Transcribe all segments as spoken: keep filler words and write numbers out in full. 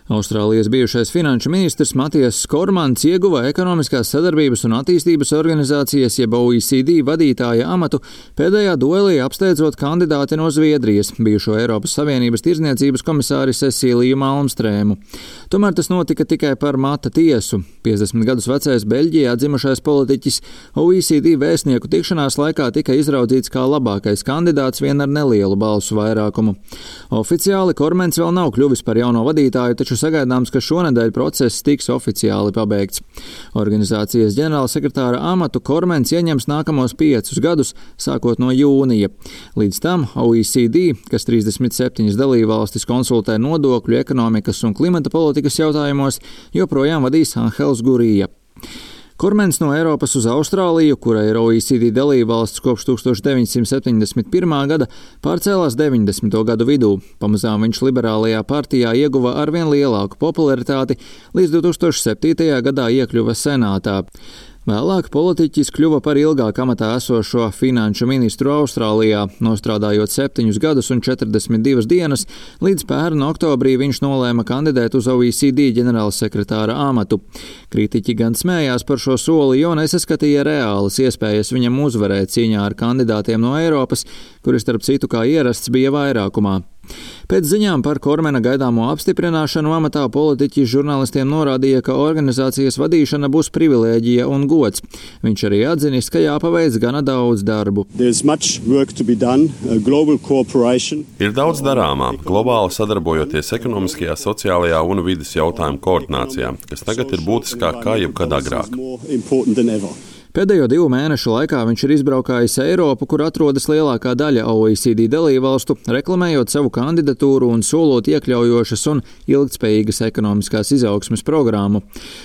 Austrālijas bijušais finanšu ministrs Matijas Kormans ieguva ekonomiskās sadarbības un attīstības organizācijas jeb O E C D vadītāja amatu pēdējā duelī apsteidzot kandidāti no Zviedrijas, bijušo Eiropas Savienības tirdzniecības komisāri Cecīliju Malmstrēmu. Tomēr tas notika tikai par mata tiesu. piecdesmit gadus vecais Beļģijā dzimušais politiķis O E C D vēstnieku tikšanās laikā tika izraudzīts kā labākais kandidāts vien ar nelielu balsu vairākumu. Oficiāli Kormans vēl nav kļuvis par jauno vadītāju, taču sagaidāms, ka šonedēļ process tiks oficiāli pabeigts. Organizācijas ģenerālsekretāra amatu Kormans ieņems nākamos piecus gadus, sākot no jūnija. Līdz tam O E C D, kas trīsdesmit septiņas dalībvalstis konsultē nodokļu, ekonomikas un klimata politikas jautājumos, joprojām vadīs Anhels Gurija. Kormans no Eiropas uz Austrāliju, kura ir O E C D dalībvalsts kopš tūkstoš deviņsimt septiņdesmit pirmā gada, pārcēlās deviņdesmito gadu vidū. Pamazām viņš liberālajā partijā ieguva arvien lielāku popularitāti, līdz divtūkstoš septītajā gadā iekļuva senātā. Vēlāk politiķis kļuva par ilgāk amatā esošo finanšu ministru Austrālijā, nostrādājot septiņus gadus un četrdesmit divas dienas, līdz pērn oktobrī viņš nolēma kandidēt uz O E C D ģenerālsekretāra amatu. Kritiķi gan smējās par šo soli, jo nesaskatīja reālas iespējas viņam uzvarēt cīņā ar kandidātiem no Eiropas, kuri starp citu kā ierasts bija vairākumā. Pēc ziņām par Kormana gaidāmo apstiprināšanu amatā politiķi žurnālistiem norādīja, ka organizācijas vadīšana būs privilēģija un gods. Viņš arī atzinis, ka jāpaveic gana daudz darbu. Done, Ir daudz darāmā, globāli sadarbojoties ekonomiskajā, sociālajā un vides jautājumu koordinācijā, kas tagad ir būtiskāk kā jebkad agrāk. Pēdējo divu mēnešu laikā viņš ir izbraukājis Eiropu, kur atrodas lielākā daļa O E C D dalībvalstu, reklamējot savu kandidatūru un solot iekļaujošas un ilgtspējīgas ekonomiskās izaugsmes programmu.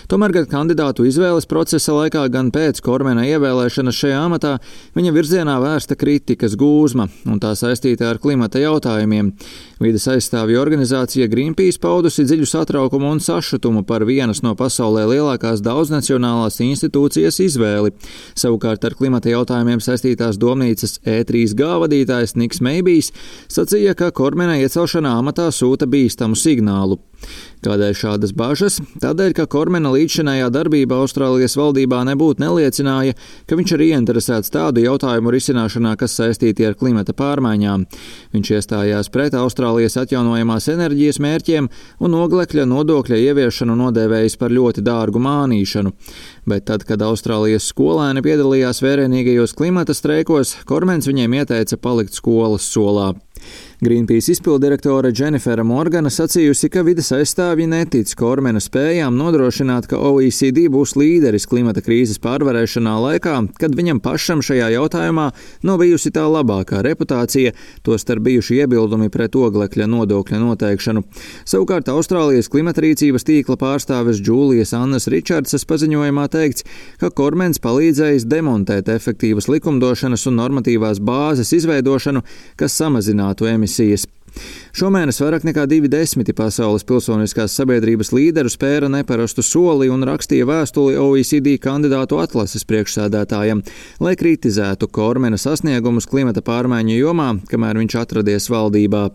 Tomēr gan kandidātu izvēles procesa laikā, gan pēc Kormana ievēlēšanas šajā amatā viņa virzienā vērsta kritikas gūzma, un tā saistīta ar klimata jautājumiem. Vides aizstāvju organizācija Greenpeace paudusi dziļu satraukumu un sašutumu par vienas no pasaulē lielākās daudznacionālās institūcijas izvēli. Savukārt ar klimata jautājumiem saistītās domnīcas E trīs G vadītājs Niks Meibijs sacīja, ka Kormana iecelšanā amatā sūta bīstamu signālu. Kādēļ šādas bažas? Tādēļ, ka Kormana līdzšinējā darbība Austrālijas valdībā nebūtu neliecināja, ka viņš ir ieinteresēts tādu jautājumu risināšanā, kas saistīti ar klimata pārmaiņām. Viņš iestājās pret Austrālijas atjaunojamās enerģijas mērķiem un oglekļa nodokļa ieviešanu nodēvējis par ļoti dārgu mānīšanu. Bet tad, kad Austrālijas skolēni piedalījās vērienīgajos klimata streikos, Kormans viņiem ieteica palikt skolas solā. Greenpeace izpildirektore Dženifera Morgana sacījusi, ka vides aizstāvji netic Kormana spējām nodrošināt, ka O E C D būs līderis klimata krīzes pārvarēšanā laikā, kad viņam pašam šajā jautājumā nav bijusi tā labākā reputācija, tostarp bijuši iebildumi pret oglekļa nodokļa noteikšanu. Savukārt Austrālijas klimatrīcības tīkla pārstāves Džūlijas Annas Ričardsas paziņojumā teikts, ka Kormans palīdzējis demontēt efektīvas likumdošanas un normatīvās bāzes izveidošanu, kas samazinātu emisijas. Šomēnes vairāk nekā divi desmiti pasaules pilsoniskās sabiedrības līderu spēra neparastu soli un rakstīja vēstuli O E C D kandidātu atlases priekšsēdētājam, lai kritizētu Kormana sasniegumus klimata pārmaiņu jomā, kamēr viņš atradies valdībā.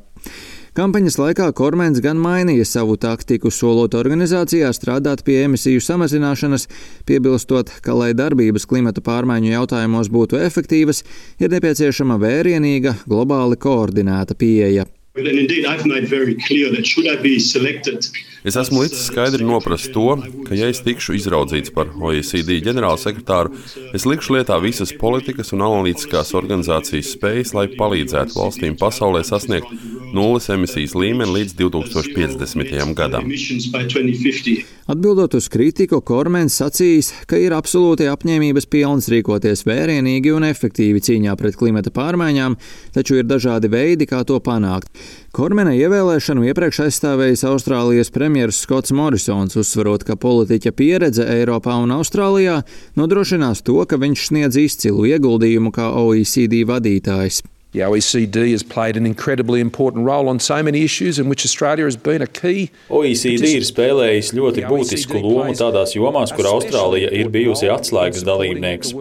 Kampaņas laikā Kormans gan mainīja savu taktiku, solot organizācijā strādāt pie emisiju samazināšanas, piebilstot, ka, lai darbības klimata pārmaiņu jautājumos būtu efektīvas, ir nepieciešama vērienīga, globāli koordinēta pieeja. Es esmu līdz skaidri noprast to, ka, ja es tikšu izraudzīts par O E C D ģenerālsekretāru, es likšu lietā visas politikas un analītiskās organizācijas spējas, lai palīdzētu valstīm pasaulē sasniegt nulles emisijas līmeni līdz divtūkstoš piecdesmitajam gadam. Atbildot uz kritiku, Kormans sacījis, ka ir absolūti apņēmības pilns rīkoties vērienīgi un efektīvi cīņā pret klimata pārmaiņām, taču ir dažādi veidi, kā to panākt. Kormana ievēlēšanu iepriekš aizstāvējis Austrālijas premjeras Skots Morisons, uzsverot, ka politiķa pieredze Eiropā un Austrālijā nodrošinās to, ka viņš sniedz izcilu ieguldījumu kā O E C D vadītājs. The O E C D has played an incredibly important role on so many issues in which Australia has been a key. O E C D ir spēlējis ļoti būtisku lomu tādās jomās, kur Austrālija ir bijusi atslēgas dalībnieks.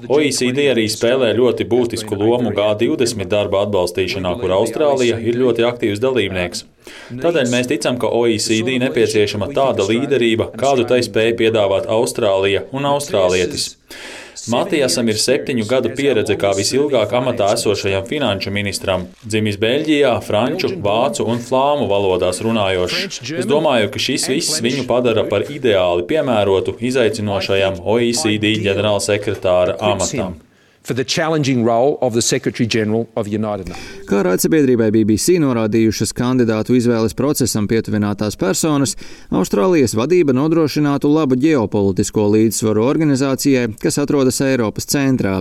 O E C D arī spēlē ļoti būtisku lomu G divdesmit darba atbalstīšanā, kur Austrālija ir ļoti aktīvs dalībnieks. Tādēļ mēs ticam, ka O E C D nepieciešama tāda līderība, kādu tai spēja piedāvāt Austrālija un austrālietis. Matijasam ir septiņu gadu pieredze kā visilgāk amatā esošajam finanšu ministram, dzimis Beļģijā, franču, vācu un flāmu valodās runājošs. Es domāju, ka šis viss viņu padara par ideāli piemērotu izaicinošajam O E C D ģenerālsekretāra amatam. For the challenging role of the Secretary-General of United Nations. Kā raidsabiedrībai B B C norādījušas kandidātu izvēles procesam pietuvinātās personas, Austrālijas vadība nodrošinātu labu ģeopolitisko līdzsvaru organizācijai, kas atrodas Eiropas centrā.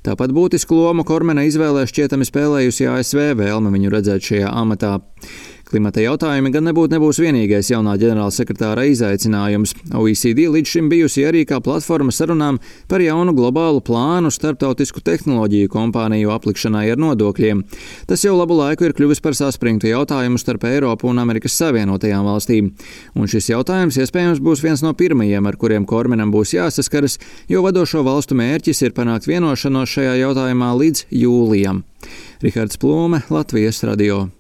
Tāpat būtisku lomu Kormena izvēlē šķietami spēlējusi A S V vēlme viņu redzēt šajā amatā. Klimata jautājumi gan nebūtu nebūs vienīgais jaunā ģenerālsekretāra izaicinājums. O E C D līdz šim bijusi arī kā platforma sarunām par jaunu globālu plānu starptautisku tehnoloģiju kompāniju aplikšanai ar nodokļiem. Tas jau labu laiku ir kļuvis par saspringtu jautājumu starp Eiropu un Amerikas Savienotajām valstīm. Un šis jautājums iespējams būs viens no pirmajiem, ar kuriem Kormenam būs jāsaskaras, jo vadošo valstu mērķis ir panākt vienošanos šajā jautājumā līdz jūlijam. Rihards Plūme, Latvijas radio.